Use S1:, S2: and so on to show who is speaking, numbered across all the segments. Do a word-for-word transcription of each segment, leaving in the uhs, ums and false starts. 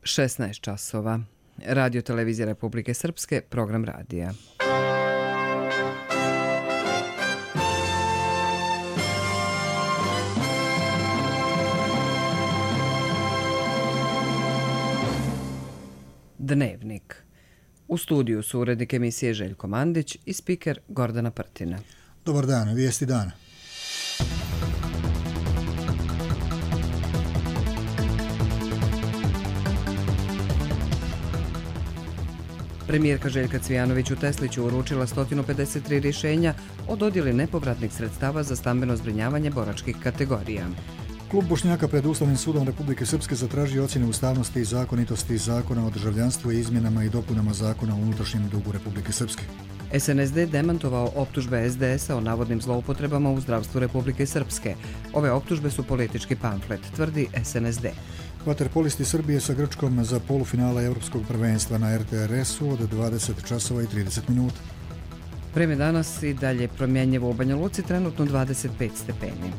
S1: šesnaest časova. Radio Televizija Republike Srpske, program radija. Dnevnik. U studiju su urednik emisije Željko Mandić i spiker Gordana Prtina.
S2: Dobar dan, vijesti dana.
S1: Premijerka Željka Cvijanović u Tesliću uručila sto pedeset tri rješenja o dodjeli nepovratnih sredstava za stambeno zbrinjavanje boračkih kategorija.
S2: Klub Bošnjaka pred Ustavnim sudom Republike Srpske zatražio ocjene ustavnosti i zakonitosti Zakona o državljanstvu i izmjenama i dopunama Zakona o unutrašnjem dugu Republike Srpske.
S1: S N S D demantovao optužbe S D S-a o navodnim zloupotrebama u zdravstvu Republike Srpske. Ove optužbe su politički pamflet, tvrdi S N S D.
S2: Vaterpolisti Srbije sa Grčkom za polufinala Europskog prvenstva na R T R S-u od dvadeset časova i trideset minuta.
S1: Vreme danas i dalje promjenjivo u Banja Luci, trenutno dvadeset pet stepeni.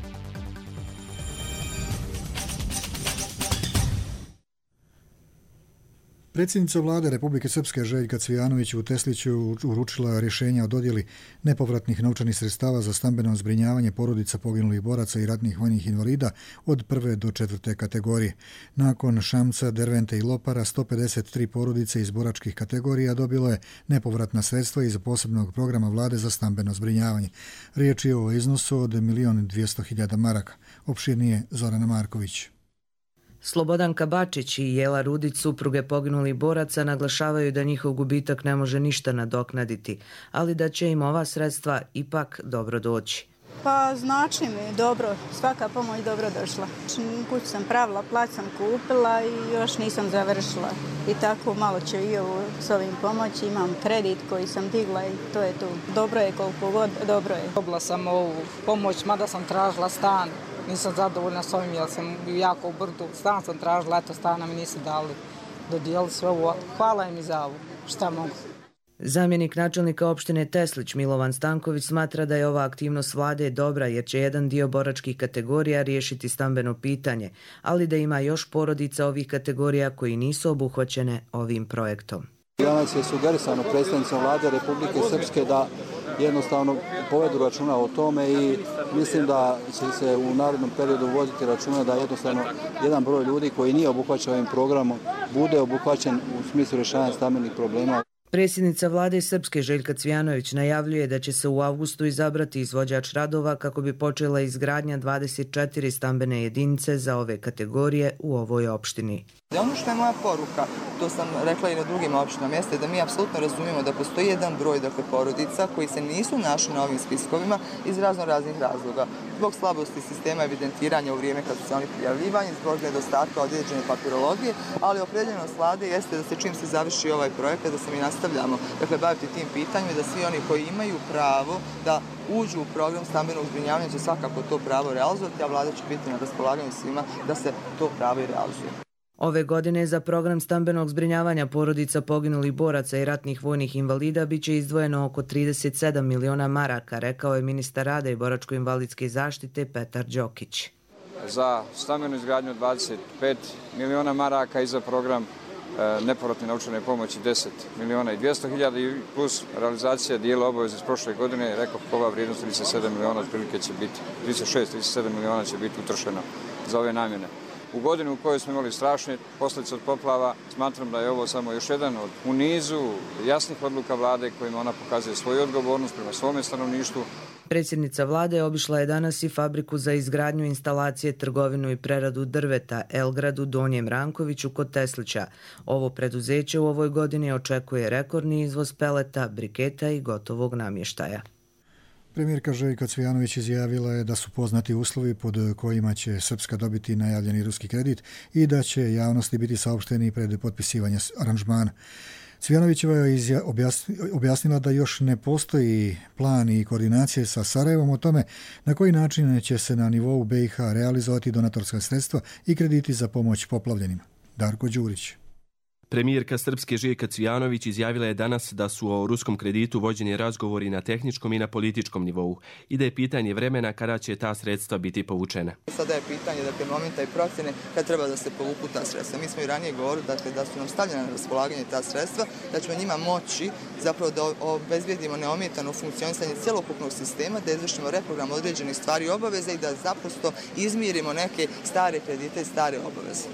S2: Predsjednica vlade Republike Srpske Željka Cvijanović u Tesliću uručila rješenja o dodjeli nepovratnih novčanih sredstava za stambeno zbrinjavanje porodica poginulih boraca i ratnih vojnih invalida od prve do četvrte kategorije. Nakon Šamca, Dervente i Lopara, sto pedeset tri porodice iz boračkih kategorija dobilo je nepovratna sredstva iz posebnog programa vlade za stambeno zbrinjavanje. Riječ je o iznosu od milion dvjesto hiljada maraka. Opširnije Zorana Marković.
S3: Slobodanka Bačić i Jela Rudić, supruge poginulih boraca, naglašavaju da njihov gubitak ne može ništa nadoknaditi, ali da će im ova sredstva ipak dobro doći.
S4: Pa znači mi dobro, svaka pomoć dobro došla. Kuću sam pravila, plać sam kupila i još nisam završila. I tako malo će i ovo s ovim pomoći. Imam kredit koji sam digla i to je to. Dobro je koliko god, dobro je.
S5: Dobila sam ovu pomoć, mada sam tražila stan. Nisam zadovoljna s ovim jer sam jako u brdu. Stan sam tražila, eto stana mi nisu dali. Dodijeli sve ovo. Hvala im i za ovo. Šta mogu.
S3: Zamjenik načelnika opštine Teslić Milovan Stanković smatra da je ova aktivnost vlade dobra jer će jedan dio boračkih kategorija riješiti stambeno pitanje, ali da ima još porodica ovih kategorija koji nisu obuhvaćene ovim projektom.
S6: Danas je sugerisano predstavnicom vlade Republike Srpske da jednostavno povedu računa o tome i mislim da će se u narednom periodu voditi računa da jednostavno jedan broj ljudi koji nije obuhvaćen ovim programom bude obuhvaćen u smislu rješavanja stambenih problema.
S3: Predsjednica vlade Srpske Željka Cvijanović najavljuje da će se u avgustu izabrati izvođač radova kako bi počela izgradnja dvadeset četiri stambene jedinice za ove kategorije u ovoj opštini.
S7: Ono što je moja poruka, to sam rekla i na drugim opštinama, jeste da mi apsolutno razumijemo da postoji jedan broj dakle, porodica koji se nisu našli na ovim spiskovima iz razno raznih razloga. Zbog slabosti sistema evidentiranja u vrijeme kad su se oni prijavljivani, zbog nedostatka određene papirologije, ali opredeljenost vlade jeste da se čim se završi ovaj projekat, da se mi nastavljamo dakle, baviti tim pitanjima i da svi oni koji imaju pravo da uđu u program stambenog zbrinjavanja će svakako to pravo realizovati, a vlada će biti na raspolaganju svima da se to pravo i realizuje.
S3: Ove godine za program stambenog zbrinjavanja porodica poginulih boraca i ratnih vojnih invalida biće izdvojeno oko trideset sedam miliona maraka, rekao je ministar rada i boračko-invalidske zaštite Petar Đokić.
S8: Za stambenu izgradnju dvadeset pet miliona maraka i za program e, nepovratne novčane pomoći deset miliona i dvjesto hiljada plus realizacija dijela obaveze iz prošle godine, rekao ova vrijednost trideset sedam miliona otprilike će biti, trideset šest trideset sedam miliona će biti utrošeno za ove namjene. U godinu u kojoj smo imali strašne posljedice od poplava, smatram da je ovo samo još jedan od u nizu jasnih odluka vlade kojima ona pokazuje svoju odgovornost prema svome stanovništvu.
S3: Predsjednica vlade obišla je danas i fabriku za izgradnju instalacije, trgovinu i preradu drveta Elgrad u Donjem Rankoviću kod Teslića. Ovo preduzeće u ovoj godini očekuje rekordni izvoz peleta, briketa i gotovog namještaja.
S2: Premijerka Željka Cvijanović izjavila je da su poznati uslovi pod kojima će Srpska dobiti najavljeni ruski kredit i da će javnosti biti saopšteni pred potpisivanje aranžmana. Cvijanovićeva je objasnila da još ne postoji plan i koordinacije sa Sarajevom o tome na koji način će se na nivou B i H realizovati donatorska sredstva i krediti za pomoć poplavljenima. Darko Đurić.
S9: Premijerka Srpske Željka Cvijanović izjavila je danas da su o ruskom kreditu vođeni razgovori na tehničkom i na političkom nivou i da je pitanje vremena kada će ta sredstva biti povučena.
S7: Sada je pitanje dakle, momenta i procjene kad treba da se povuku ta sredstva. Mi smo i ranije govorili dakle, da su nam stavljena na raspolaganje ta sredstva, da ćemo njima moći zapravo da obezbijedimo neometano funkcionisanje cjelokupnog sistema, da izvršimo reprogram određenih stvari i obaveza i da zaprosto izmirimo neke stare kredite i stare obaveze.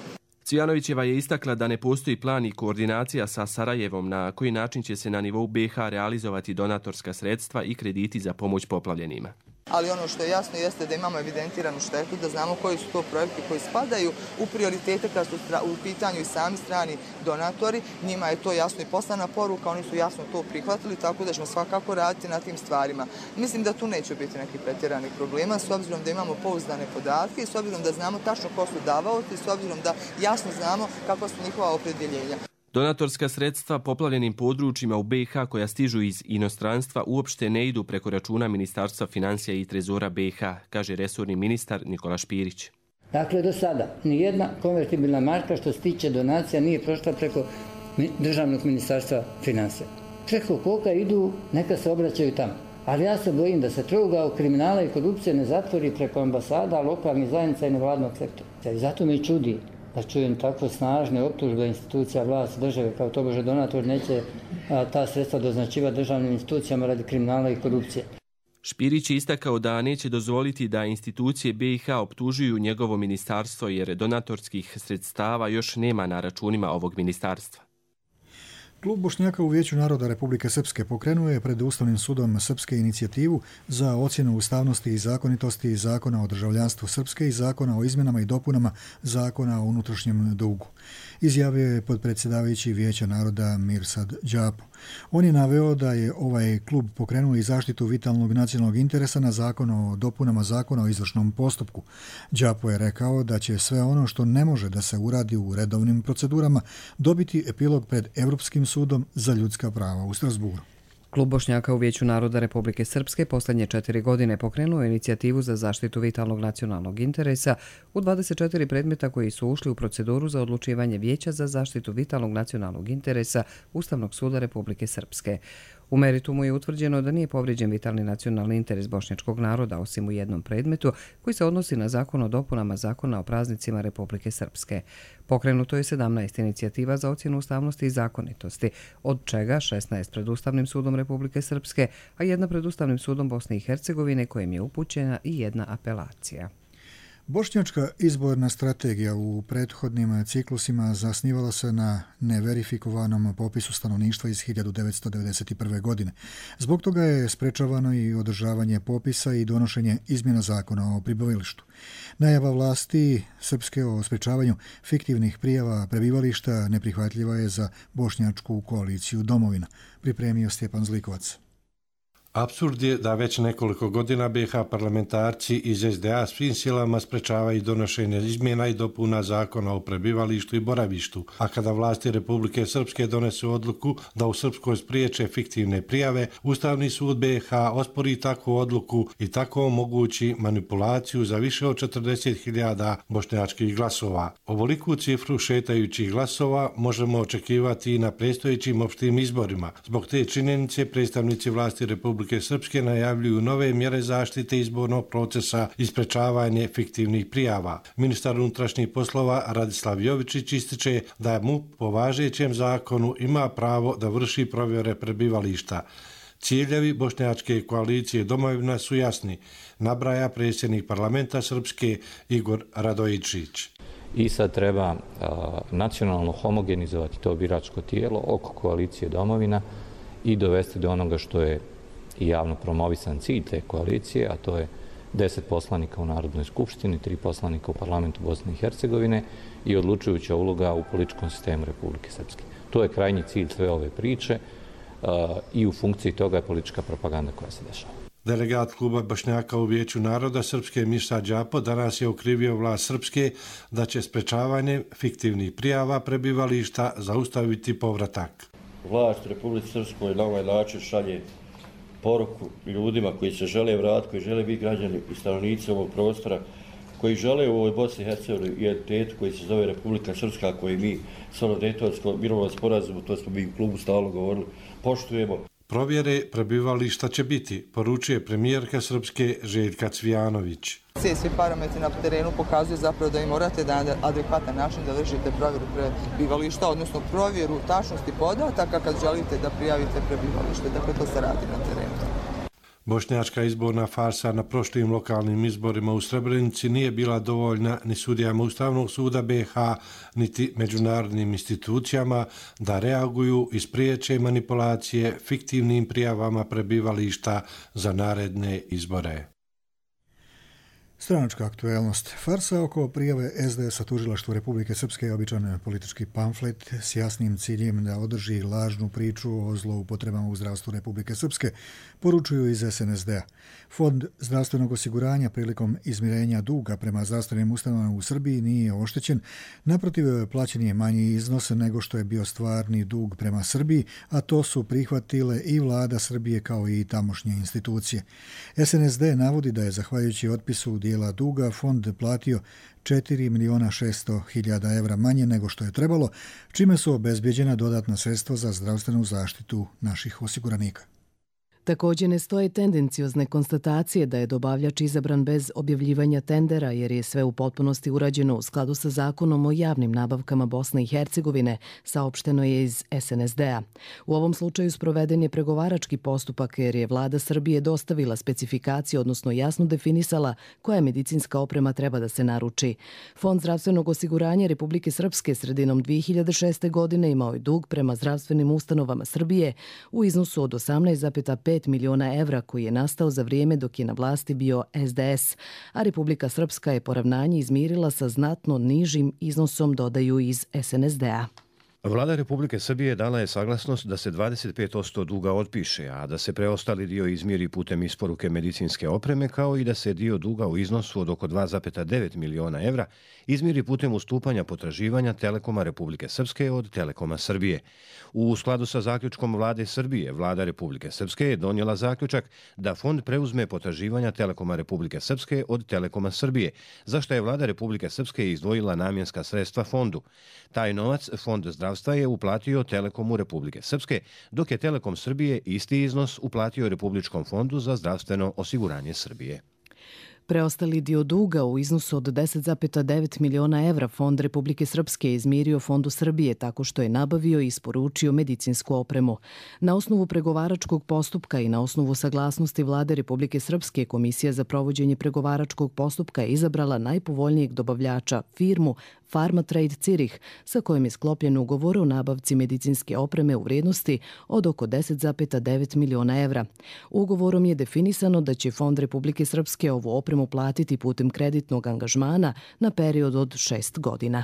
S9: Cvijanovićeva je istakla da ne postoji plan i koordinacija sa Sarajevom na koji način će se na nivou B iH realizovati donatorska sredstva i krediti za pomoć poplavljenima.
S7: Ali ono što je jasno jeste da imamo evidentiranu štetu, da znamo koji su to projekti koji spadaju u prioritete kad su u pitanju i sami strani donatori. Njima je to jasno i poslana poruka, oni su jasno to prihvatili, tako da ćemo svakako raditi na tim stvarima. Mislim da tu neće biti nekih pretjeranih problema, s obzirom da imamo pouzdane podatke i s obzirom da znamo tačno ko su davaoci, s obzirom da jasno znamo kakva su njihova opredjeljenja.
S9: Donatorska sredstva poplavljenim područjima u B iH koja stižu iz inostranstva uopšte ne idu preko računa Ministarstva financija i trezora B iH, kaže resorni ministar Nikola Špirić.
S10: Dakle, do sada nijedna konvertibilna marka što se tiče donacija nije prošla preko državnog ministarstva financija. Preko koga idu, neka se obraćaju tamo. Ali ja se bojim da se trougao kriminala i korupcije ne zatvori preko ambasada, lokalnih zajednica i nevladnog sektora. I zato me čudi da čujem tako snažne optužbe institucija vlasti države kao tobože donator neće a, ta sredstva doznačivati državnim institucijama radi kriminala i korupcije.
S9: Špirić je istakao da neće dozvoliti da institucije B iH optužuju njegovo ministarstvo jer donatorskih sredstava još nema na računima ovog ministarstva.
S2: Klub Bošnjaka u Vijeću naroda Republike Srpske pokrenuo je pred Ustavnim sudom Srpske inicijativu za ocjenu ustavnosti i zakonitosti Zakona o državljanstvu Srpske i Zakona o izmjenama i dopunama Zakona o unutrašnjem dugu. Izjavio je potpredsjedavajući Vijeća naroda Mirsad Đapo. On je naveo da je ovaj klub pokrenuo i zaštitu vitalnog nacionalnog interesa na Zakon o dopunama Zakona o izvršnom postupku. Đapo je rekao da će sve ono što ne može da se uradi u redovnim procedurama dobiti epilog pred Evropskim sudom za ljudska prava u Strasburu.
S1: Klub Bošnjaka u Vijeću naroda Republike Srpske posljednje četiri godine pokrenuo inicijativu za zaštitu vitalnog nacionalnog interesa u dvadeset četiri predmeta koji su ušli u proceduru za odlučivanje Vijeća za zaštitu vitalnog nacionalnog interesa Ustavnog suda Republike Srpske. U meritumu je utvrđeno da nije povrijeđen vitalni nacionalni interes bošnjačkog naroda osim u jednom predmetu koji se odnosi na Zakon o dopunama Zakona o praznicima Republike Srpske. Pokrenuto je sedamnaest inicijativa za ocjenu ustavnosti i zakonitosti, od čega šesnaest pred Ustavnim sudom Republike Srpske, a jedna pred Ustavnim sudom Bosne i Hercegovine kojem je upućena i jedna apelacija.
S2: Bošnjačka izborna strategija u prethodnim ciklusima zasnivala se na neverifikovanom popisu stanovništva iz hiljadu devetsto devedeset prve. godine. Zbog toga je sprečavano i održavanje popisa i donošenje izmjena zakona o prebivalištu. Najava vlasti Srpske o sprečavanju fiktivnih prijava prebivališta neprihvatljiva je za bošnjačku koaliciju Domovina, pripremio Stjepan Zlikovac.
S11: Apsurd je da već nekoliko godina B iH parlamentarci iz S D A svim silama sprečavaju donošenje izmjena i dopuna zakona o prebivalištu i boravištu, a kada vlasti Republike Srpske donesu odluku da u Srpskoj spriječe fiktivne prijave, Ustavni sud B iH ospori takvu odluku i tako omogući manipulaciju za više od četrdeset hiljada bošnjačkih glasova. Ovoliku cifru šetajućih glasova možemo očekivati i na predstojećim opštim izborima. Zbog te činjenice predstavnici vlasti Republike Srpske najavljuju nove mjere zaštite izbornog procesa i sprečavanje fiktivnih prijava. Ministar unutrašnjih poslova Radislav Jovičić ističe da mu po važećem zakonu ima pravo da vrši provjere prebivališta. Ciljevi bošnjačke koalicije Domovina su jasni, nabraja predsjednik parlamenta Srpske Igor Radojičić.
S12: I sad treba uh, nacionalno homogenizovati to biračko tijelo oko koalicije Domovina i dovesti do onoga što je i javno promovisan cilj te koalicije, a to je deset poslanika u Narodnoj skupštini, tri poslanika u parlamentu Bosne i Hercegovine i odlučujuća uloga u političkom sistemu Republike Srpske. To je krajnji cilj sve ove priče uh, i u funkciji toga je politička propaganda koja se dešava.
S11: Delegat kluba Bošnjaka u Vijeću naroda Srpske Mirsad Đapo danas je okrivio vlast Srpske da će sprečavanje fiktivnih prijava prebivališta zaustaviti povratak.
S13: Vlast Republike Srpskoj na ovaj način šalje poruku ljudima koji se žele vratiti, koji žele biti građani i stanovnici ovog prostora, koji žele u ovoj Bosni i Hercegovini identitetu koji se zove Republika Srpska, koji mi stvarno Dejtonsko mirovno sporazumu, to smo mi u klubu stalno govorili, poštujemo.
S11: Provjere prebivališta će biti, poručuje premijerka Srpske Željka Cvijanović.
S7: Svi parametri na terenu pokazuju zapravo da i morate da na adekvatan način da vršite provjeru prebivališta, odnosno provjeru tačnosti podataka kad želite da prijavite prebivalište. Dakle, to se radi na terenu.
S11: Bošnjačka izborna farsa na prošlim lokalnim izborima u Srebrenici nije bila dovoljna ni sudijama Ustavnog suda B iH, niti međunarodnim institucijama da reaguju i spriječe manipulacije fiktivnim prijavama prebivališta za naredne izbore.
S2: Stranačka aktuelnost. Farsa oko prijave S D S-a tužilaštvu Republike Srpske je običan politički pamflet s jasnim ciljem da održi lažnu priču o zloupotrebama u zdravstvu Republike Srpske, poručuju iz S N S D-a. Fond zdravstvenog osiguranja prilikom izmirenja duga prema zdravstvenim ustanovama u Srbiji nije oštećen, naprotiv plaćen je manji iznos nego što je bio stvarni dug prema Srbiji, a to su prihvatile i vlada Srbije kao i tamošnje institucije. S N S D navodi da je zahvaljujući otpisu dijela duga fond platio četiri miliona šesto hiljada evra manje nego što je trebalo, čime su obezbjeđena dodatna sredstva za zdravstvenu zaštitu naših osiguranika.
S14: Također ne stoje tendenciozne konstatacije da je dobavljač izabran bez objavljivanja tendera jer je sve u potpunosti urađeno u skladu sa zakonom o javnim nabavkama Bosne i Hercegovine, saopšteno je iz S N S D-a. U ovom slučaju sproveden je pregovarački postupak jer je vlada Srbije dostavila specifikacije, odnosno jasno definisala koja medicinska oprema treba da se naruči. Fond zdravstvenog osiguranja Republike Srpske sredinom dvije hiljade šeste. godine imao je dug prema zdravstvenim ustanovama Srbije u iznosu od osamnaest zarez pet miliona evra koji je nastao za vrijeme dok je na vlasti bio S D S, a Republika Srpska je poravnanje izmirila sa znatno nižim iznosom, dodaju iz S N S D-a.
S15: Vlada Republike Srbije dala je saglasnost da se dvadeset pet posto duga otpiše, a da se preostali dio izmiri putem isporuke medicinske opreme, kao i da se dio duga u iznosu od oko dva zarez devet miliona evra izmiri putem ustupanja potraživanja Telekoma Republike Srpske od Telekoma Srbije. U skladu sa zaključkom vlade Srbije, vlada Republike Srpske je donijela zaključak da fond preuzme potraživanja Telekoma Republike Srpske od Telekoma Srbije, za što je vlada Republike Srpske izdvojila namjenska sredstva fondu. Taj novac fond zdravstva je uplatio Telekomu Republike Srpske, dok je Telekom Srbije isti iznos uplatio Republičkom fondu za zdravstveno osiguranje Srbije.
S14: Preostali dio duga u iznosu od deset zarez devet miliona evra Fond Republike Srpske izmirio Fondu Srbije tako što je nabavio i isporučio medicinsku opremu. Na osnovu pregovaračkog postupka i na osnovu saglasnosti vlade Republike Srpske, Komisija za provođenje pregovaračkog postupka je izabrala najpovoljnijeg dobavljača, firmu Pharmatrade Zürich, sa kojim je sklopljen ugovor o nabavci medicinske opreme u vrijednosti od oko deset zarez devet miliona evra. Ugovorom je definisano da će Fond Republike Srpske ovu opremu platiti putem kreditnog angažmana na period od šest godina.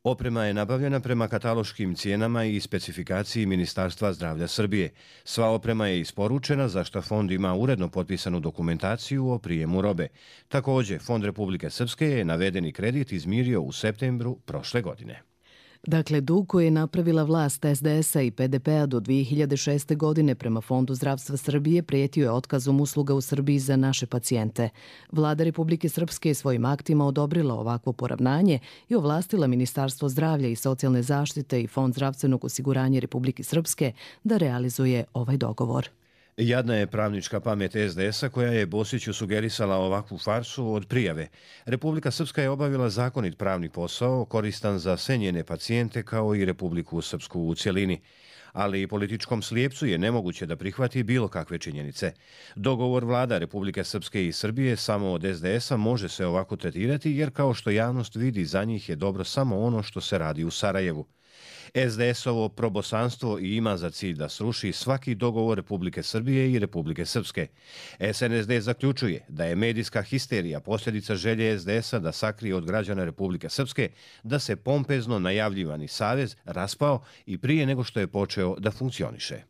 S15: Oprema je nabavljena prema kataloškim cijenama i specifikaciji Ministarstva zdravlja Srbije. Sva oprema je isporučena, za što fond ima uredno potpisanu dokumentaciju o prijemu robe. Također, Fond Republike Srpske je navedeni kredit izmirio u septembru prošle godine.
S14: Dakle, dug koji je napravila vlast S D S-a i P D P-a do dvije hiljade šeste. godine prema Fondu zdravstva Srbije prijetio je otkazom usluga u Srbiji za naše pacijente. Vlada Republike Srpske je svojim aktima odobrila ovakvo poravnanje i ovlastila Ministarstvo zdravlja i socijalne zaštite i Fond zdravstvenog osiguranja Republike Srpske da realizuje ovaj dogovor.
S15: Jadna je pravnička pamet S D S-a koja je Bosiću sugerisala ovakvu farsu od prijave. Republika Srpska je obavila zakonit pravni posao koristan za sve njene pacijente kao i Republiku Srpsku u cjelini. Ali i političkom slijepcu je nemoguće da prihvati bilo kakve činjenice. Dogovor vlada Republike Srpske i Srbije samo od S D S-a može se ovako tretirati jer kao što javnost vidi za njih je dobro samo ono što se radi u Sarajevu. S D S-ovo probosanstvo i ima za cilj da sruši svaki dogovor Republike Srbije i Republike Srpske. S N S D zaključuje da je medijska histerija posljedica želje S D S-a da sakrije od građana Republike Srpske da se pompezno najavljivani savez raspao i prije nego što je počeo da funkcioniše.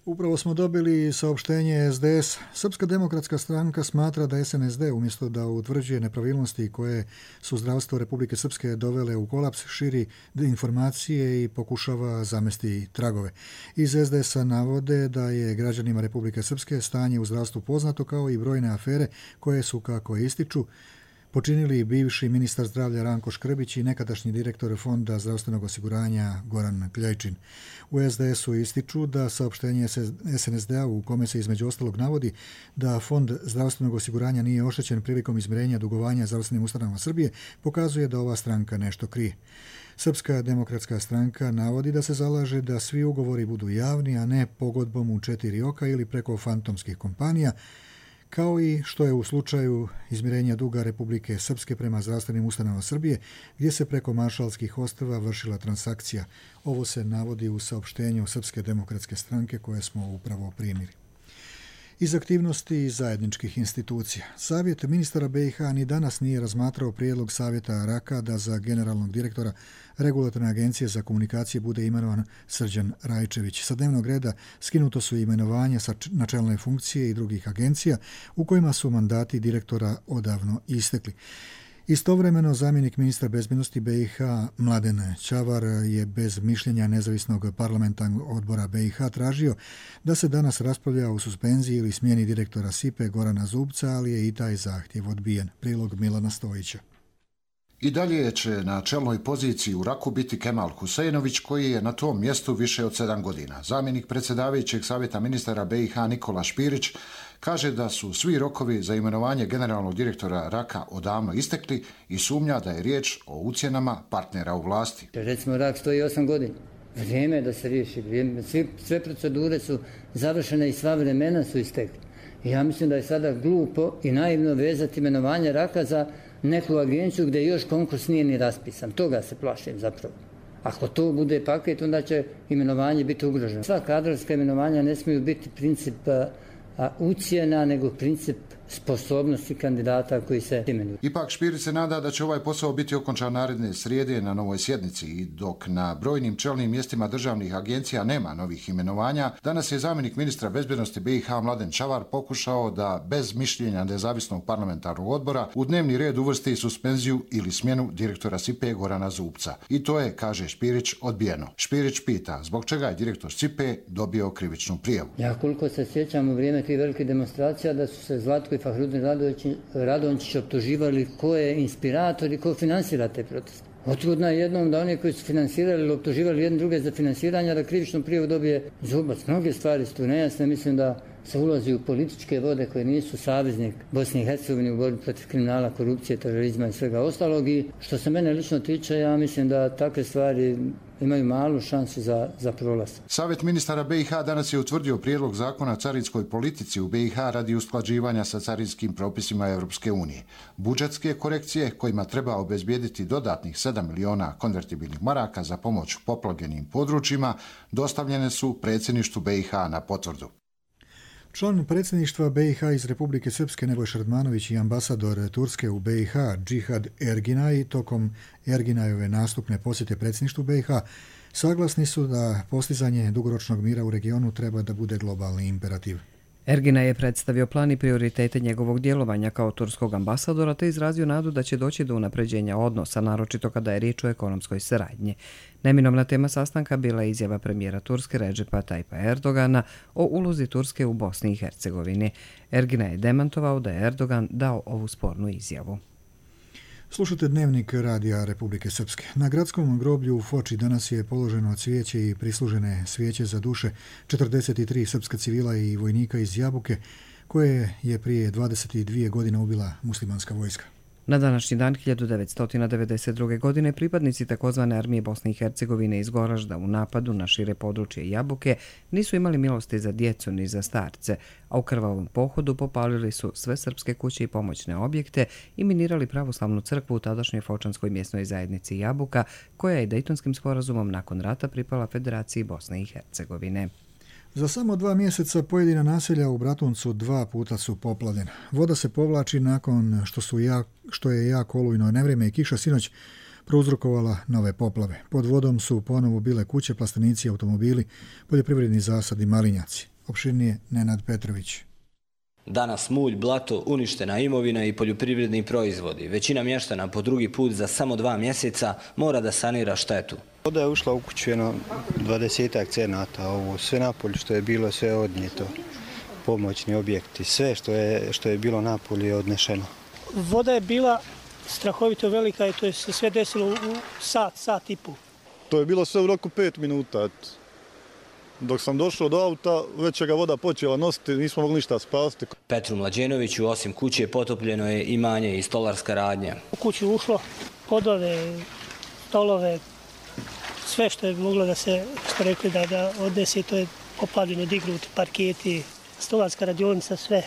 S2: Upravo smo dobili saopštenje es de es. Srpska demokratska stranka smatra da es en es de umjesto da utvrđuje nepravilnosti koje su zdravstvo Republike Srpske dovele u kolaps, širi informacije i pokušava zamesti tragove. Iz es de es-a navode da je građanima Republike Srpske stanje u zdravstvu poznato kao i brojne afere koje su, kako ističu, počinili bivši ministar zdravlja Ranko Škrbić i nekadašnji direktor Fonda zdravstvenog osiguranja Goran Kljajčin. U es de es-u ističu da saopštenje es en es de-a u kome se između ostalog navodi da Fond zdravstvenog osiguranja nije oštećen prilikom izmirenja dugovanja zdravstvenim ustanovama Srbije pokazuje da ova stranka nešto krije. Srpska demokratska stranka navodi da se zalaže da svi ugovori budu javni, a ne pogodbom u četiri oka ili preko fantomskih kompanija, kao i što je u slučaju izmirenja duga Republike Srpske prema zdravstvenim ustanovama Srbije, gdje se preko Maršalskih ostrva vršila transakcija. Ovo se navodi u saopštenju Srpske demokratske stranke koje smo upravo primili. Iz aktivnosti zajedničkih institucija. Savjet ministara be i ha ni danas nije razmatrao prijedlog Savjeta Raka da za generalnog direktora Regulatorne agencije za komunikacije bude imenovan Srđan Rajčević. Sa dnevnog reda skinuto su imenovanja sa načelne funkcije i drugih agencija u kojima su mandati direktora odavno istekli. Istovremeno, zamjenik ministra bezbednosti be i ha Mladen Čavar je bez mišljenja nezavisnog parlamentarnog odbora be i ha tražio da se danas raspravlja o suspenziji ili smjeni direktora S I P E Gorana Zubca, ali je i taj zahtjev odbijen. Prilog Milana Stojića.
S16: I dalje će na čelnoj poziciji u Raku biti Kemal Huseinović, koji je na tom mjestu više od sedam godina. Zamjenik predsjedavajućeg savjeta ministara be i ha Nikola Špirić kaže da su svi rokovi za imenovanje generalnog direktora Raka odavno istekli i sumnja da je riječ o ucjenama partnera u vlasti.
S10: Recimo, Rak stoji osam godina. Vrijeme je da se riješi. Vrijeme. Svi, sve procedure su završene i sva vremena su istekli. I ja mislim da je sada glupo i naivno vezati imenovanje Raka za neku agenciju gdje još konkurs nije ni raspisan. Toga se plašim zapravo. Ako to bude paket, onda će imenovanje biti ugroženo. Sva kadrovska imenovanja ne smiju biti princip a, ucjena, nego princip sposobnosti kandidata koji se imenuju.
S16: Ipak Špirić se nada da će ovaj posao biti okončan naredne srijede na novoj sjednici i dok na brojnim čelnim mjestima državnih agencija nema novih imenovanja, danas je zamjenik ministra bezbednosti be i ha Mladen Čavar pokušao da bez mišljenja nezavisnog parlamentarnog odbora u dnevni red uvrsti suspenziju ili smjenu direktora S I P E Gorana Zubca. I to je, kaže Špirić, odbijeno. Špirić pita zbog čega je direktor S I P E dobio krivičnu prijavu.
S10: Ja koliko se sjećam u vrijeme tih velikih demonstracija da su se Zlatko i Fahrudin Radončić optuživali ko je inspirator i ko finansira te proteste. Otrudno je jednom da oni koji su finansirali ili optuživali jedne druge za finansiranje, da krivičnu prijavu dobije Zubac. Mnoge stvari su tu nejasne. Mislim da se ulazi u političke vode koje nisu saveznik Bosne i Hercegovine u borbi protiv kriminala, korupcije, terorizma i svega ostalog. I što se mene lično tiče, ja mislim da takve stvari imaju malu šansu za, za prolaz.
S16: Savjet ministara be i ha danas je utvrdio prijedlog zakona o carinskoj politici u be i ha radi usklađivanja sa carinskim propisima Europske unije. Budžetske korekcije kojima treba obezbijediti dodatnih sedam miliona konvertibilnih maraka za pomoć poplavljenim područjima dostavljene su predsjedništvu be i ha na potvrdu.
S2: Član predsjedništva be i ha iz Republike Srpske Nebojša Radmanović i ambasador Turske u be i ha Džihad Erginaj tokom Erginajove nastupne posjete predsjedništvu be i ha saglasni su da postizanje dugoročnog mira u regionu treba da bude globalni imperativ.
S1: Erginaj je predstavio plan i prioritete njegovog djelovanja kao turskog ambasadora te izrazio nadu da će doći do unapređenja odnosa, naročito kada je riječ o ekonomskoj saradnji. Neminovna tema sastanka bila je izjava premijera Turske Redžepa Tajpa Erdogana o ulozi Turske u Bosni i Hercegovini. Erginaj je demantovao da je Erdogan dao ovu spornu izjavu.
S2: Slušate Dnevnik Radija Republike Srpske. Na gradskom groblju u Foči danas je položeno cvijeće i prislužene svijeće za duše četrdeset tri srpska civila i vojnika iz Jabuke, koje je prije dvadeset dvije godine ubila muslimanska vojska.
S1: Na današnji dan hiljadu devetsto devedeset druge. godine pripadnici takozvane armije Bosne i Hercegovine iz Goražda u napadu na šire područje Jabuke nisu imali milosti za djecu ni za starce, a u krvavom pohodu popalili su sve srpske kuće i pomoćne objekte i minirali pravoslavnu crkvu u tadašnjoj fočanskoj mjesnoj zajednici Jabuka, koja je Dejtonskim sporazumom nakon rata pripala Federaciji Bosne i Hercegovine.
S2: Za samo dva mjeseca pojedina naselja u Bratuncu dva puta su poplavljena. Voda se povlači nakon što, su jak, što je jako olujno nevrijeme i kiša sinoć prouzrokovala nove poplave. Pod vodom su ponovo bile kuće, plastenici, automobili, poljoprivredni zasadi, malinjaci. Opširnije Nenad Petrović.
S17: Danas mulj, blato, uništena imovina i poljoprivredni proizvodi. Većina mještana po drugi put za samo dva mjeseca mora da sanira štetu.
S18: Voda je ušla u kuću jedno dvadesetak cenata, ovo sve napolje što je bilo, sve je odnijeto, pomoćni objekti, sve što je, što je bilo napolje je odnešeno.
S19: Voda je bila strahovito velika i to je se sve desilo u sat, sat i pol.
S20: To je bilo sve u roku pet minuta. Dok sam došao do auta, već je ga voda počela nositi, nismo mogli ništa spasti.
S17: Petru Mlađenoviću osim kuće potopljeno je imanje i stolarska radnja.
S19: U kuću ušlo podove, stolove, sve što je moglo da se, što rekli da, da odnese, to je poplavljeno, dignuti parketi, stolarska radionica, sve.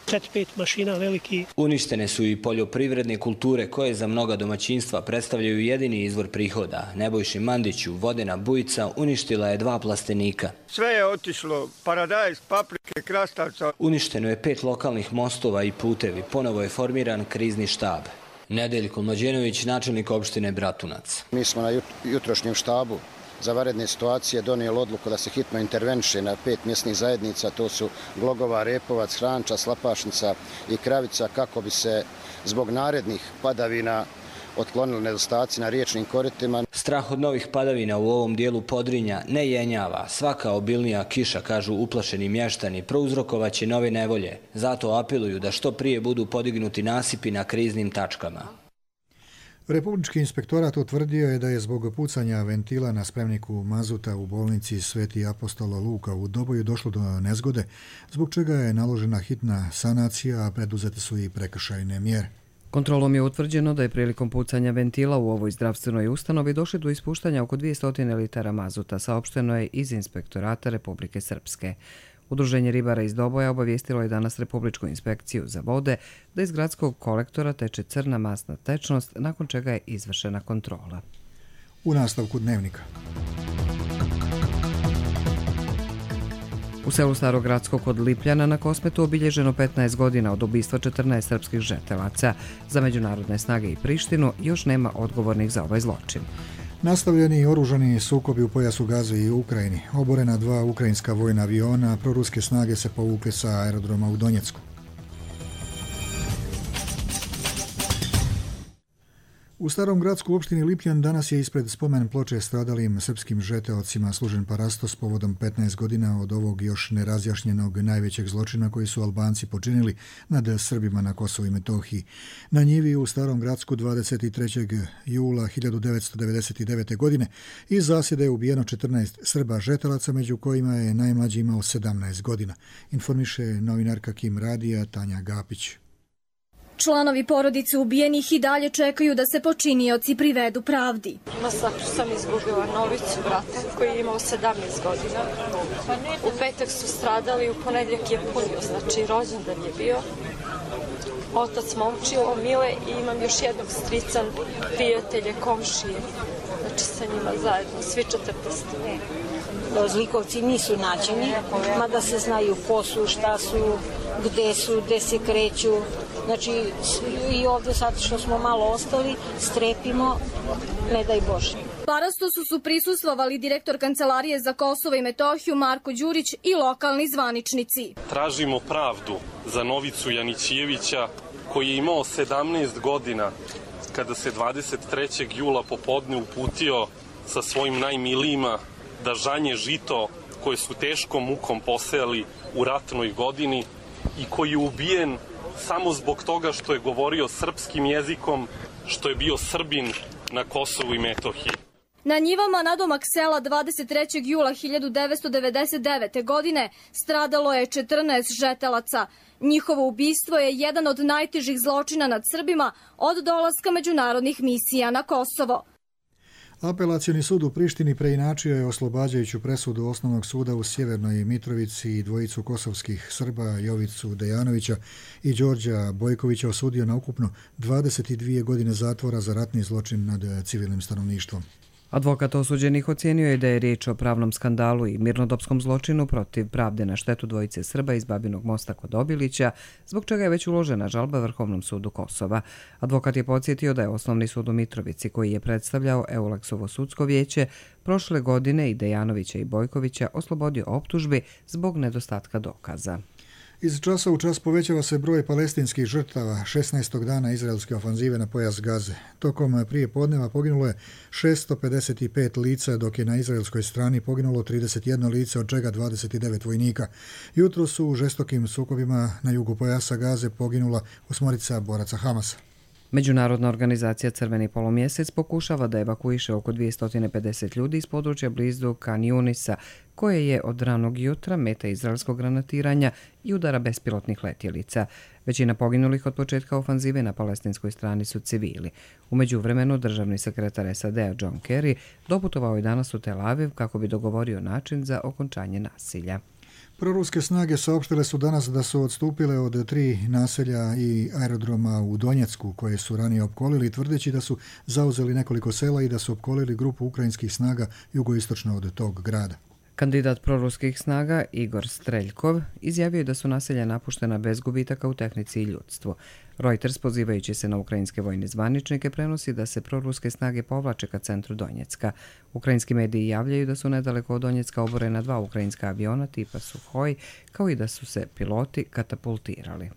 S19: četiri pet mašina veliki.
S17: Uništene su i poljoprivredne kulture koje za mnoga domaćinstva predstavljaju jedini izvor prihoda. Nebojši Mandiću vodena bujica uništila je dva plastenika.
S21: Sve je otišlo, paradajz, paprike, krastavca.
S17: Uništeno je pet lokalnih mostova i putevi. Ponovo je formiran krizni štab. Nedeljko Mlađenović, načelnik opštine Bratunac.
S22: Mi smo na jutrošnjem štabu za vanredne situacije donijeli odluku da se hitno interveniše na pet mjesnih zajednica, to su Glogova, Repovac, Hranča, Slapašnica i Kravica, kako bi se zbog narednih padavina otklonili nedostaci na riječnim koritima.
S17: Strah od novih padavina u ovom dijelu Podrinja ne jenjava. Svaka obilnija kiša, kažu uplašeni mještani, prouzrokovaće nove nevolje. Zato apeluju da što prije budu podignuti nasipi na kriznim tačkama.
S2: Republički inspektorat utvrdio je da je zbog pucanja ventila na spremniku mazuta u bolnici Sveti Apostolo Luka u Doboju došlo do nezgode, zbog čega je naložena hitna sanacija, a preduzete su i prekršajne mjere.
S1: Kontrolom je utvrđeno da je prilikom pucanja ventila u ovoj zdravstvenoj ustanovi došlo do ispuštanja oko dvjesto litara mazuta, saopšteno je iz Inspektorata Republike Srpske. Udruženje ribara iz Doboja obavijestilo je danas Republičku inspekciju za vode da iz gradskog kolektora teče crna masna tečnost, nakon čega je izvršena kontrola.
S2: U nastavku dnevnika.
S1: U selu Starogradsko kod Lipljana na Kosmetu obilježeno petnaest godina od ubistva četrnaest srpskih žetelaca. Za međunarodne snage i Prištinu još nema odgovornih za ovaj zločin.
S2: Nastavljeni oružani sukobi u pojasu Gaze i u Ukrajini. Oborena dva ukrajinska vojna aviona, a proruske snage se povukle sa aerodroma u Donjecku. U Starom gradsku opštini Lipljan danas je ispred spomen ploče stradalim srpskim žeteocima služen parastos povodom petnaest godina od ovog još nerazjašnjenog najvećeg zločina koji su Albanci počinili nad Srbima na Kosovu i Metohiji. Na njivi u Starom gradsku dvadeset trećeg jula hiljadu devetsto devedeset devete. godine iz zasjede je ubijeno četrnaest Srba žetelaca, među kojima je najmlađi imao sedamnaest godina. Informiše novinarka Kim Radija Tanja Gapić.
S23: Članovi porodice ubijenih i dalje čekaju da se počinioci privedu pravdi.
S24: Masakru sam izgubila Novicu, brata, koji je imao sedamnaest godina. U petak su stradali, u ponedjeljak je punio, znači rođendan je bio. Otac momčilo, Mile, i imam još jednog strica, prijatelje, komšije, znači sa njima zajedno, svi četrnaest.
S25: Zlikovci nisu nađeni, mada se znaju ko su, šta su, gde su, gde se kreću. Znači, i ovdje sad što smo malo ostali, strepimo, ne daj Bože.
S23: Parastosu su prisustvovali direktor Kancelarije za Kosovo i Metohiju Marko Đurić i lokalni zvaničnici.
S26: Tražimo pravdu za Novicu Janićijevića, koji je imao sedamnaest godina kada se dvadeset trećeg jula popodne uputio sa svojim najmilijima da žanje žito koje su teškom mukom posejali u ratnoj godini i koji je ubijen samo zbog toga što je govorio srpskim jezikom, što je bio Srbin na Kosovu i Metohiji.
S23: Na njivama nadomak sela dvadeset trećeg jula hiljadu devetsto devedeset devete. godine stradalo je četrnaest žetelaca. Njihovo ubistvo je jedan od najtežih zločina nad Srbima od dolaska međunarodnih misija na Kosovo.
S2: Apelacioni sud u Prištini preinačio je oslobađajuću presudu Osnovnog suda u Sjevernoj Mitrovici i dvojicu kosovskih Srba, Jovicu Dejanovića i Đorđa Bojkovića, osudio na ukupno dvadeset dvije godine zatvora za ratni zločin nad civilnim stanovništvom.
S1: Advokat osuđenih ocijenio je da je riječ o pravnom skandalu i mirnodopskom zločinu protiv pravde na štetu dvojice Srba iz Babinog Mosta kod Obilića, zbog čega je već uložena žalba Vrhovnom sudu Kosova. Advokat je podsjetio da je Osnovni sud u Mitrovici, koji je predstavljao Euleksovo sudsko vijeće, prošle godine i Dejanovića i Bojkovića oslobodio optužbi zbog nedostatka dokaza.
S2: Iz časa u čas povećava se broj palestinskih žrtava šesnaestog dana izraelske ofanzive na pojas Gaze. Tokom prije podneva poginulo je šesto pedeset pet lica, dok je na izraelskoj strani poginulo trideset jedno lice, od čega dvadeset devet vojnika. Jutro su u žestokim sukobima na jugu pojasa Gaze poginula osmorica boraca Hamasa.
S1: Međunarodna organizacija Crveni polumjesec pokušava da evakuiše oko dvjesto pedeset ljudi iz područja blizu Kan Junisa, koje je od ranog jutra meta izraelskog granatiranja i udara bespilotnih letjelica. Većina poginulih od početka ofanzive na palestinskoj strani su civili. U međuvremenu državni sekretar S A D-a John Kerry doputovao je danas u Tel Aviv kako bi dogovorio način za okončanje nasilja.
S2: Proruske snage saopštile su danas da su odstupile od tri naselja i aerodroma u Donjecku, koje su ranije opkolili, tvrdeći da su zauzeli nekoliko sela i da su opkolili grupu ukrajinskih snaga jugoistočno od tog grada.
S1: Kandidat proruskih snaga Igor Streljkov izjavio je da su naselja napuštena bez gubitaka u tehnici i ljudstvu. Reuters, pozivajući se na ukrajinske vojne zvaničnike, prenosi da se proruske snage povlače ka centru Donjecka. Ukrajinski mediji javljaju da su nedaleko od Donjecka oborena dva ukrajinska aviona tipa Suhoj, kao i da su se piloti katapultirali.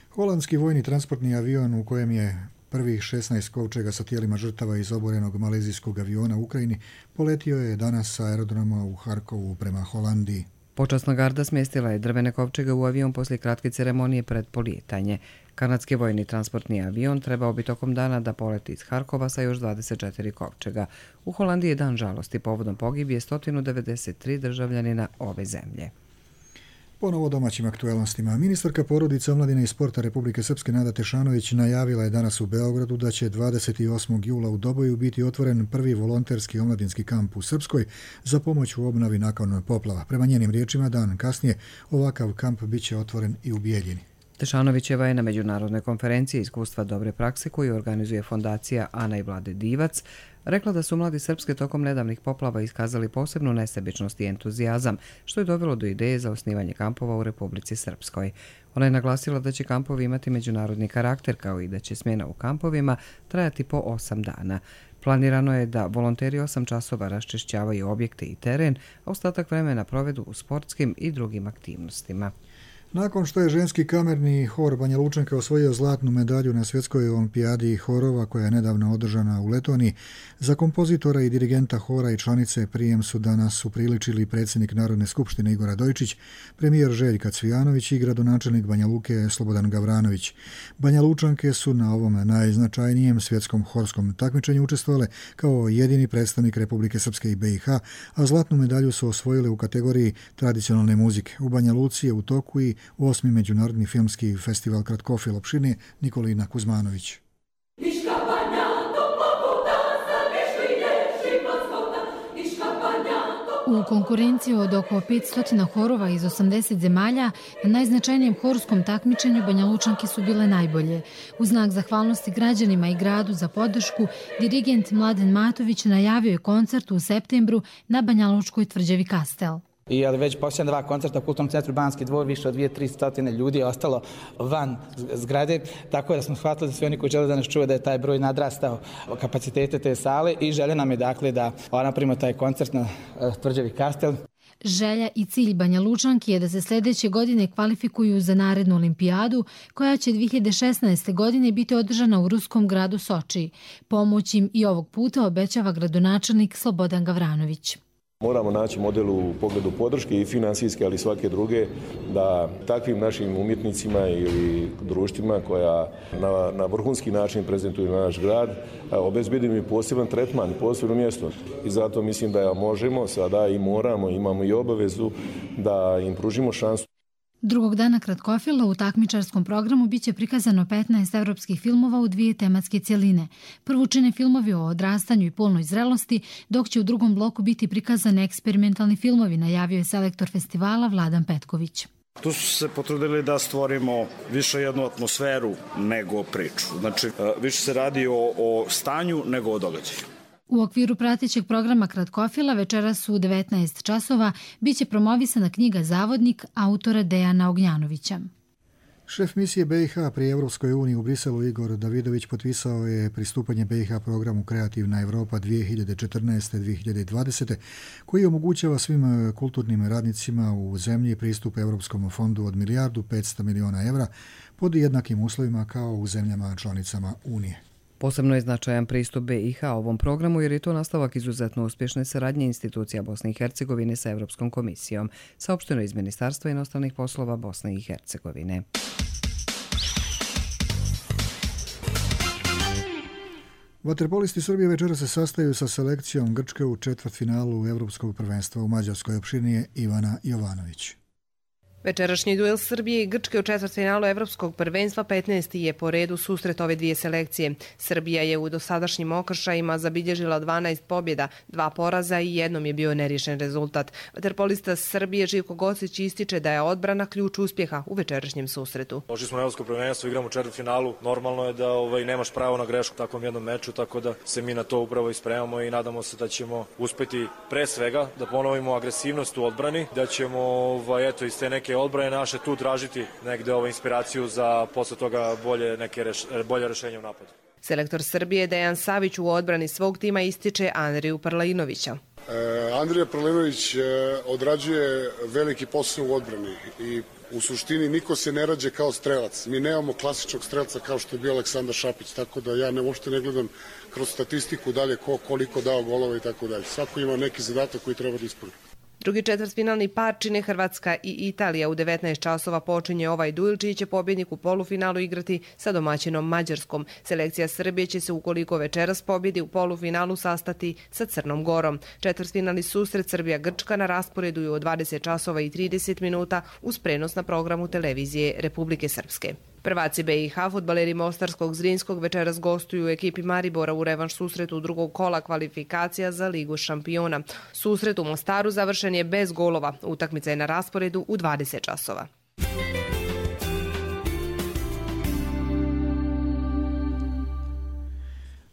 S2: Holandski vojni transportni avion u kojem je prvih šesnaest kovčega sa tijelima žrtava iz oborenog malezijskog aviona u Ukrajini poletio je danas sa aerodroma u Harkovu prema Holandiji.
S1: Počasna garda smjestila je drvene kovčege u avion poslije kratke ceremonije pred polijetanje. Kanadski vojni transportni avion trebao bi tokom dana da poleti iz Harkova sa još dvadeset četiri kovčega. U Holandiji je dan žalosti povodom pogibije sto devedeset tri državljanina ove zemlje.
S2: Ponovo domaćim aktuelnostima. Ministarka porodice, omladine i sporta Republike Srpske Nada Tešanović najavila je danas u Beogradu da će dvadeset osmog jula u Doboju biti otvoren prvi volonterski omladinski kamp u Srpskoj za pomoć u obnovi nakon poplava. Prema njenim riječima, dan kasnije ovakav kamp bit će otvoren i u Bijeljini.
S1: Tešanovićeva je na međunarodnoj konferenciji iskustva dobre prakse koju organizuje fondacija Ana i Vlade Divac rekla da su mladi Srpske tokom nedavnih poplava iskazali posebnu nesebičnost i entuzijazam, što je dovelo do ideje za osnivanje kampova u Republici Srpskoj. Ona je naglasila da će kampovi imati međunarodni karakter, kao i da će smjena u kampovima trajati po osam dana. Planirano je da volonteri osam časova raščišćavaju objekte i teren, a ostatak vremena provedu u sportskim i drugim aktivnostima.
S2: Nakon što je ženski kamerni hor Banja Lučanka osvojio zlatnu medalju na svjetskoj olimpijadi horova koja je nedavno održana u Letoniji, za kompozitora i dirigenta hora i članice prijem su danas upriličili predsjednik Narodne skupštine Igor Radojčić, premijer Željka Cvijanović i gradonačelnik Banja Luke Slobodan Gavranović. Banja Lučanke su na ovom najznačajnijem svjetskom horskom takmičenju učestvovale kao jedini predstavnik Republike Srpske i B i H, a zlatnu medalju su osvojile u kategoriji tradicionalne muzike. U Banja Luci je u toku i osmi međunarodni filmski festival Kratkofil opštine Nikolina Kuzmanović.
S3: U konkurenciji od oko petsto horova iz osamdeset zemalja na najznačajnijem horskom takmičenju Banja Lučanke su bile najbolje. U znak zahvalnosti građanima i gradu za podršku, dirigent Mladen Matović najavio je koncert u septembru na Banja Lučkoj tvrđavi Kastel.
S4: I ali već posljednja dva koncerta u Kulturnom centru Banski dvor, više od dvije do tri stotine ljudi je ostalo van zgrade, tako da smo shvatili da svi oni koji žele da nas čuju da je taj broj nadrastao kapacitete te sale i žele nam je dakle da napravimo taj koncert na tvrđavi Kastel.
S3: Želja i cilj Banja Lučanki je da se sljedeće godine kvalifikuju za narednu olimpijadu, koja će dvije hiljade šesnaeste. godine biti održana u ruskom gradu Soči. Pomoć im i ovog puta obećava gradonačelnik Slobodan Gavranović.
S5: Moramo naći model u pogledu podrške i finansijske, ali i svake druge, da takvim našim umjetnicima ili društvima koja na, na vrhunski način prezentuju naš grad, obezbedimo i poseban tretman, posebno mjesto. I zato mislim da možemo sada i moramo, imamo i obavezu da im pružimo šansu.
S3: Drugog dana Kratkofila u takmičarskom programu biće prikazano petnaest evropskih filmova u dvije tematske cjeline. Prvo čine filmovi o odrastanju i polnoj zrelosti, dok će u drugom bloku biti prikazani eksperimentalni filmovi, najavio je selektor festivala Vladan Petković.
S6: Tu su se potrudili da stvorimo više jednu atmosferu nego priču. Znači, više se radi o, o stanju nego o događaju.
S3: U okviru pratećeg programa Kratkofila večeras u devetnaest časova biće promovisana knjiga Zavodnik autora Dejana Ognjanovića.
S2: Šef misije B i H pri Evropskoj uniji u Briselu Igor Davidović potpisao je pristupanje B i H programu Kreativna Evropa dvije hiljade četrnaeste do dvije hiljade dvadesete koji omogućava svim kulturnim radnicima u zemlji pristup Evropskom fondu od milijardu petsto miliona evra pod jednakim uslovima kao u zemljama članicama Unije.
S1: Posebno je značajan pristup B i H ovom programu jer je to nastavak izuzetno uspješne saradnje institucija Bosne i Hercegovine sa Evropskom komisijom, saopšteno iz Ministarstva inostranih poslova Bosne i Hercegovine.
S2: Vaterpolisti Srbije večera se sastaju sa selekcijom Grčke u četvrtfinalu Evropskog prvenstva u Mađarskoj, opširnije Ivana Jovanović.
S7: Večerašnji duel Srbije i Grčke u četvrtfinalu Evropskog prvenstva petnaesti je po redu susret ove dvije selekcije. Srbija je u dosadašnjim okršajima zabilježila dvanaest pobjeda, dva poraza i jednom je bio neriješen rezultat. Vaterpolista Srbije Živko Gocić ističe da je odbrana ključ uspjeha u večerašnjem susretu.
S8: Došli smo na Evropsko prvenstvo, igramo u četvrtfinalu. Normalno je da ovaj, nemaš pravo na grešku u takvom jednom meču, tako da se mi na to upravo ispremamo i nadamo se da ćemo uspjeti pre svega da ponovimo agresivnost u odbrani, da ćemo ovaj, eto, iz te neke odbrane naše tu tražiti negde ovu inspiraciju za posle toga bolje neke reš, bolje rešenje u napadu.
S7: Selektor Srbije Dejan Savić u odbrani svog tima ističe Andriju Parlainovića.
S9: E, Andrija Parlainović e, odrađuje veliki posao u odbrani i u suštini niko se ne rađe kao strelac. Mi nemamo klasičnog strelca kao što je bio Aleksandar Šapić, tako da ja ne uopšte ne gledam kroz statistiku dalje ko koliko dao golova i tako dalje. Svako ima neki zadatak koji treba da ispuni.
S7: Drugi četvrtfinalni par čine Hrvatska i Italija. U devetnaest časova počinje ovaj duel čiji će pobjednik u polufinalu igrati sa domaćinom Mađarskom. Selekcija Srbije će se ukoliko večeras pobjedi u polufinalu sastati sa Crnom Gorom. Četvrtfinalni susret Srbija-Grčka na rasporedu je u dvadeset časova i trideset minuta uz prenos na programu televizije Republike Srpske. Prvaci B i H, fudbaleri Mostarskog Zrinskog, večeras gostuju u ekipi Maribora u revanš susretu drugog kola kvalifikacija za Ligu šampiona. Susret u Mostaru završen je bez golova. Utakmica je na rasporedu u dvadeset časova.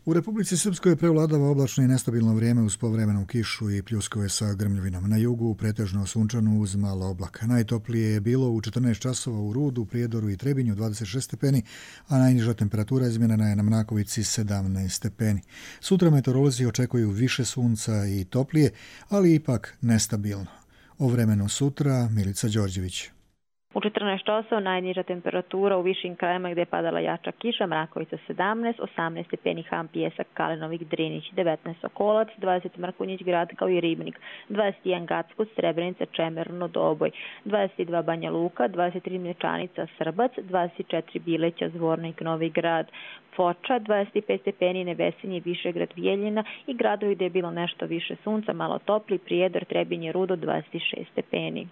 S2: U Republici Srpskoj prevladava oblačno i nestabilno vrijeme uz povremenu kišu i pljuskove sa grmljavinom. Na jugu pretežno sunčano uz malo oblaka. Najtoplije je bilo u četrnaest časova u Rudu, Prijedoru i Trebinju dvadeset šest stepeni, a najniža temperatura izmjerena je na Mnakovici sedamnaest stepeni. Sutra meteorolozi očekuju više sunca i toplije, ali ipak nestabilno. O vremenu sutra Milica Đorđević.
S11: U četrnaest časova najniža temperatura u višim krajima gdje je padala jača kiša, Mrakovica sedamnaest, osamnaest stepeni Ham, Pijesak, Kalinovik, Drinić, devetnaest Sokolac, dvadeset Mrkonjić Grad kao i Ribnik, dvadeset jedan Gackovac, Srebrenica, Čemerno, Doboj, dvadeset dva Banja Luka, dvadeset tri Mlječanica, Srbac, dvadeset četiri Bileća, Zvornik, Novi Grad, Foča, dvadeset pet stepeni Nevesinje, Višegrad, Vijeljina i gradovi gdje je bilo nešto više sunca, malo topli, Prijedor, Trebinje, Rudo, dvadeset šest stepeni.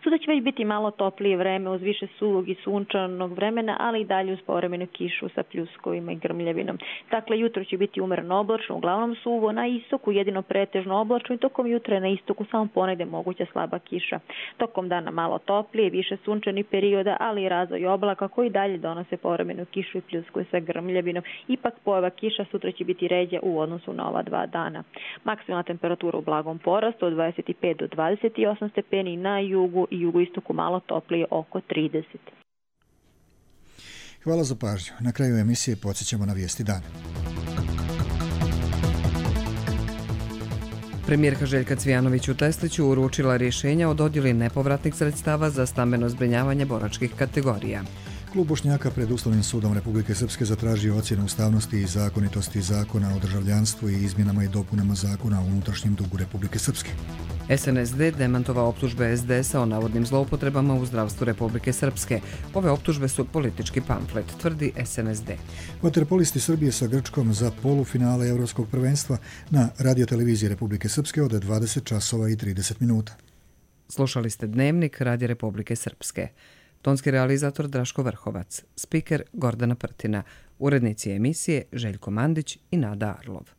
S11: Sutra će već biti malo toplije vreme uz više suvog i sunčanog vremena, ali i dalje uz povremenu kišu sa pljuskovima i grmljavinom. Dakle, jutro će biti umereno oblačno, uglavnom suvo, na istoku jedino pretežno oblačno i tokom jutra na istoku samo ponegde moguća slaba kiša. Tokom dana malo toplije, više sunčanih perioda, ali i razvoj oblaka koji dalje donose povremenu kišu i pljuskove sa grmljavinom. Ipak pojava kiša sutra će biti ređa u odnosu na ova dva dana. Maksimalna temperatura u blagom porastu od dvadeset pet do dvadeset osam stepeni, na jugu i jugoistoku malo toplije oko trideset.
S2: Hvala za pažnju. Na kraju emisije podsjećamo na vijesti dana.
S1: Premijerka Željka Cvijanović u Tesliću uručila rješenja o dodjeli nepovratnih sredstava za stambeno zbrinjavanje boračkih kategorija.
S2: Klub Bošnjaka pred Ustavnim sudom Republike Srpske zatražio ocjenu ustavnosti i zakonitosti zakona o državljanstvu i izmjenama i dopunama zakona o unutrašnjem dugu Republike Srpske.
S1: S N S D demantovao optužbe S D S-a o navodnim zloupotrebama u zdravstvu Republike Srpske. Ove optužbe su politički pamflet, tvrdi S N S D.
S2: Vaterpolisti Srbije sa Grčkom za polufinale Evropskog prvenstva na radioteleviziji Republike Srpske od dvadeset časova i trideset minuta.
S1: Slušali ste Dnevnik Radija Republike Srpske. Tonski realizator Draško Vrhovac, spiker Gordana Prtina, urednici emisije Željko Mandić i Nada Arlov.